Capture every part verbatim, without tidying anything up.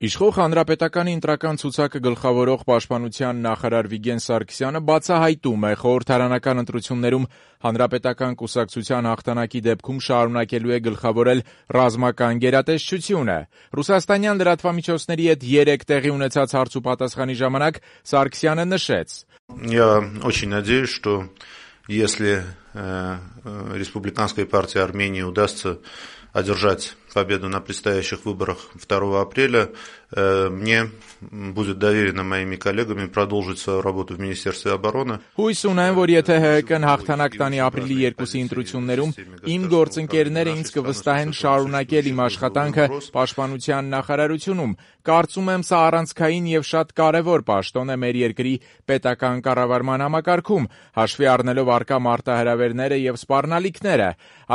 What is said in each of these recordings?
Իշխող Հանրապետականի ընտրական ցուցակը գլխավորող պաշտպանության նախարար Վիգեն Սարգսյանը բացահայտում է խորհրդարանական ընտրություններում Հանրապետական կուսակցության հաղթանակի դեպքում շարունակելու է գլխավորել ռազմական գերատեսչությունը։ Ռուսաստանյան լրատվամիջոցների հետ երեկ տեղի ունեցած հարցուպատասխանի ժամանակ Սարգսյանը նշեց. Я очень надеюсь, что если э, Республиканской партии Армении удастся одержать победу на предстоящих выборах второго апреля, э, мне будет доверено моими коллегами продолжить свою работу в Министерстве обороны. Հույս ունեմ, որ եթե ՀՀԿ-ն հաղթանակ տանի ապրիլի երկուսի ընտրություններում, իմ գործընկերները ինձ կվստահեն շարունակել իմ աշխատանքը պաշտպանության նախարարությունում։ Կարծում եմ, սա առանցքային եւ շատ կարեւոր պաշտոն է մեր երկրի պետական կառավարման համակարգում, հաշվի առնելով առկա մարտահրավերները եւ սպառնալիքները։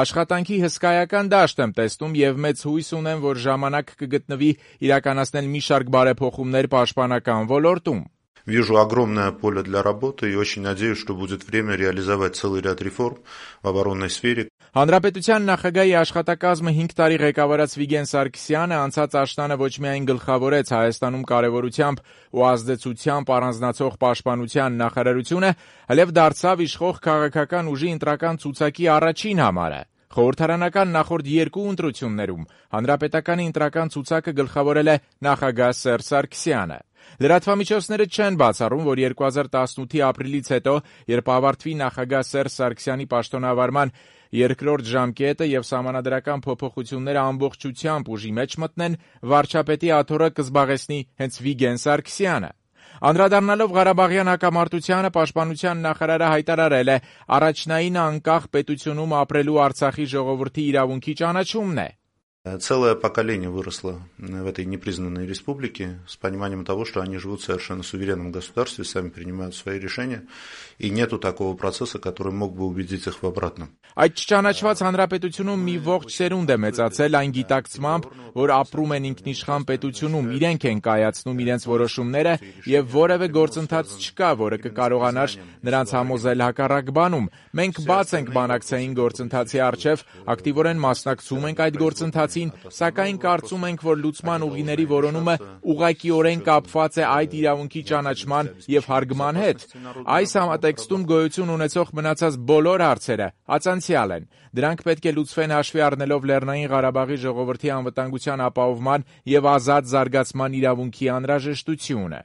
Աշխատանքի հսկայական դաշտ եմ տեսնում եւ մեծ հույս ունեմ, որ ժամանակ կգտնվի իրականացնել մի շարք բարեփոխումներ պաշտպանական ոլորտում։ Вижу огромное поле для работы и очень надеюсь, что будет время реализовать целый ряд реформ в оборонной сфере. Հանրապետության նախագահի աշխատակազմը հինգ տարի ղեկավարած Վիգեն Սարգսյանը անցած աշնանը ոչ միայն գլխավորեց Հայաստանում կարևորությամբ ու ազդեցությամբ առանձնացող պաշտպանության նախարարությունը, այլև դարձավ իշխող քաղաքական ուժի ընտրական ցուցակի առաջին համարը։ Խորհրդարանական նախորդ երկու ընտրություններում Հանրապետականի ընտրական ցուցակը գլխավորել է նախագահ Սերժ Սարգսյանը։ Լրատվամիջոցները չեն բացառում, որ երկու հազար տասնութի ապրիլից հետո, երբ ավարտվի նախագահ Սերժ Սարգսյանի պաշտոնավարման երկրորդ ժամկետը եւ սահմանադրական փոփոխությունները ամբողջությամբ ուժի մեջ մտնեն, վարչապետի աթոռը կզբաղեցնի հենց Վիգեն Սարգսյանը։ Անդրադառնալով Ղարաբաղյան հակամարտությանը, պաշտպանության նախարարը հայտարարել է, առաջնային անկախ պետությունում ապրելու Արցախի ժողովրդի իրավունքի ճանաչումն է։ Целое поколение выросло в этой непризнанной республике с пониманием того, что они живут в совершенно суверенном государстве, сами принимают свои решения, и нету такого процесса, который мог бы убедить их в обратном. Այդ չճանաչված հանրապետությունում մի ողջ սերունդ է մեծացել այն գիտակցմամբ, որ ապրում են ինքնիշխան պետությունում, իրենք են կայացնում իրենց որոշումները եւ որևէ գործընթաց չկա, որը կկարողանար նրանց համոզել հակառակ բանում։ Մենք բաց ենք բանակցային գործընթացի առջև, ակտիվորեն մասնակցում ենք այդ գործընթացին, սակայն կարծում ենք, որ լուծման ուղիների որոնումը ուղղակիորեն կապված է այդ իրավունքի ճանաչման եւ հարգման հետ։ Այս համատեքստում գոյություն ունեցող մնացած բոլոր հարցերը ածանցյալ են։ Դրանք պետք է լուծվեն հաշվի առնելով Լեռնային Ղարաբաղի ժողովրդի անվտանգության ապահովման եւ ազատ զարգացման իրավունքի անհրաժեշտությունը։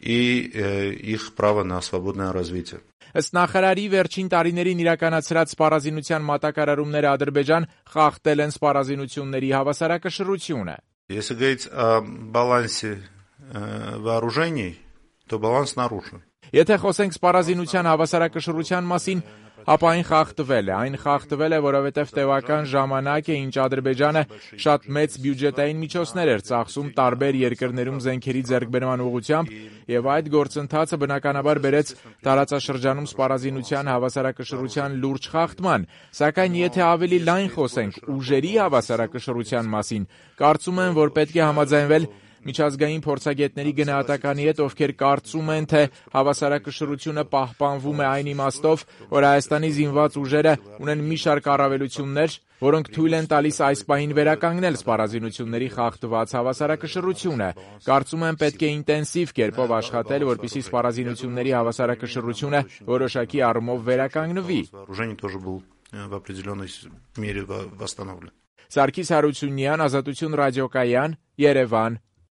И э, их право на свободное развитие. Ըստ նախարարի վերջին տարիներին իրականացրած սպառազինության մատակարարումները Ադրբեջան խախտել են սպառազինությունների հավասարակշռությունը։ Если говорить о балансе э, вооружений, то баланс нарушен. Եթե խոսենք սպառազինության հավասարակշռության մասին, ապա այն խախտվել է, այն խախտվել է, որովհետև տևական ժամանակ է, ինչ Ադրբեջանը շատ մեծ բյուջետային միջոցներ էր ծախսում տարբեր երկրներում զենքերի ձեռքբերման ուղղությամբ, եւ այդ գործընթացը բնականաբար բերեց տարածաշրջանում սպառազինության հավասարակշռության լուրջ խախտման, սակայն եթե ավելի լայն խոսենք ուժերի հավասարակշռության մասին, կարծում եմ, որ պետք է համաձայնվել միջազգային փորձագետների գնահատականի հետ, ովքեր կարծում են, թե հավասարակշռությունը պահպանվում է այն իմաստով, որ Հայաստանի զինված ուժերը ունեն մի շարք առավելություններ, որոնք թույլ են տալիս այս պահին վերականգնել սպառազինությունների խախտված հավասարակշռությունը։ Կարծում եմ, պետք է ինտենսիվ կերպով աշխատել, որպեսզի սպառազինությունների հավասարակշռությունը որոշակի առումով վերականգնվի։ Սարգիս Հարությունյան, Ազատություն ռադիոկայան, Երևան։